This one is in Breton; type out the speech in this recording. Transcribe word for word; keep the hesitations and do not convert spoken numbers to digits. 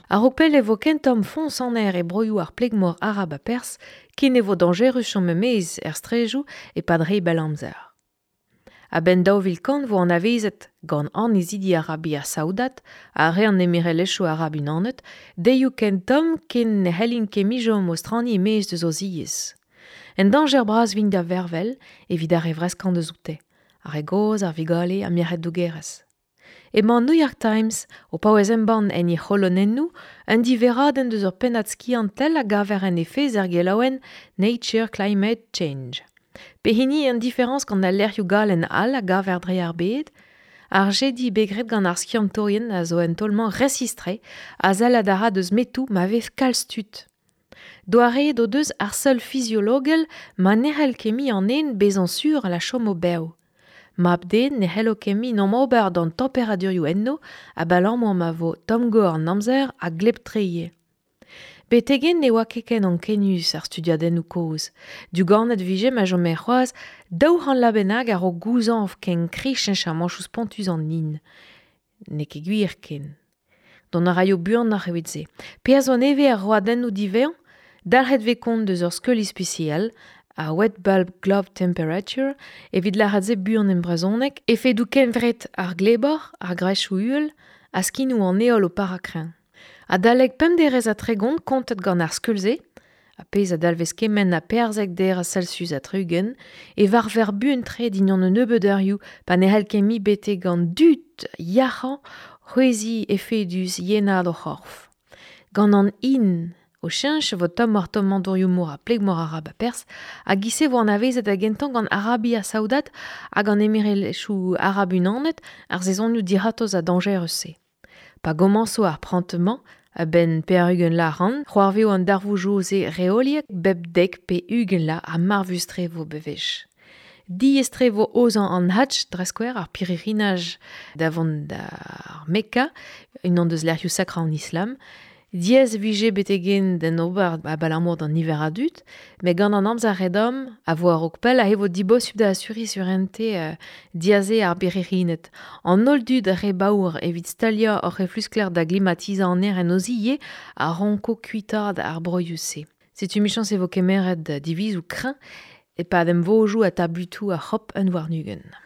A-raok pell e vo ken tomm foñs an aer e broioù ar pleg-mor arab ha pers ken e vo dañjerus chom e-maez er straedoù e-pad re bell amzer. A-benn daou vil kant vo anavezet gant annezidi Arabia Saoudat ha re an Emirelezhioù Arab Unanet deioù ken tomm ken ne c'hellint ket mui chom o straniñ e-maez deus o ziez. En dañjer bras vint da vervel evit ar re vreskañ deus oute, ar re gozh, ar vugale ha merc'hed dougerez. Emañ an New York Times o paouez embann en he c'holonennoù un diverradenn deus ur pennad skiantel a gaver en he fezh er gelaouenn Nature Climate Change. Pehini an diferañs gant al lec'hioù galen all a gaver dre ar bed, ar jediñ bet graet gant ar skiantourien a zo un taol-mañ resistre a sell a ra deus metoù ma vez kalz tud. Doareet o deus ar seul fiziologel ma ne c'hell ket mui an den bezañ sur la chomo bev. Mab-den ne c'hello ket mui n'omp ober d'an temperadurioù enno abalamour ma vo tomm-gor an amzer ha gleb-tre ivez. Betek-henn ne oa ket ken ankenius ar studiadennoù kozh. Diouganet vije ma chome c'hoazh daou c'hant vloaz bennak a-raok gouzañv ken kriz cheñchamantoù spontus an hin. N'eo ket gwir ken. Dont a raio buanoc'h evit se. Perzh zo nevez ar roadennoù diwezhañ, dalc'het vez kont deus ur skeul ispisial, ar wet bulb globe temperature, evit lâret se buan en brezhoneg, efedoù kevret ar glebor, ar grechoù uhel, ha skinoù an heol o parañ kreñv. Adalek pemp derez ha tregont kontet gant ar skeul-se, a pezh a dalvez kement ha perzek derez Celsius ha tri-ugent, e varver buan-tre dindan un nebeud eurioù pa ne c'hell ket mui betek an dud yac'hañ c'hwezhiñ efedus yenaat o c'horf. Gant an hin o cheñch e vo tommoc'h-tommañ dourioù-mor ha pleg-mor arab ha pers, hag e-se vo anavezet da gentañ gant Arabia Saoudat hag an Emirelezhioù Arab Unanet ar sezonioù dic'hortoz ha dañjerus-se. Pa gomañso ar prant-mañ, a-benn pevar-ugent vloaz ac'hann, c'hoarvezo an darvoudoù-se reoliek bep dek pe ugent vloaz ha marvus-tre vo bewech. Diaes-tre vo aozañ an Hadj, dre skouer, ar pirc'hirinaj da vont d'ar Mekka, unan deus lec'hioù sakrañ an Islam. Diaes e vije betek-henn d'en ober abalamour d'an niver a dud, met gant an amzer re-domm a vo a-raok pell aze vo dibosupl da asuriñ surentez euh, diaze ar birc'hirined. An holl dud re baour evit staliañ hor c'hefluskler da glimatizañ an aer en o zi ivez a ranko kuitaat ar broioù-se. Setu michañs e vo kemeret divizoù kreñv e-pad emvodoù ha tabutoù ar c'hop un warn-ugent.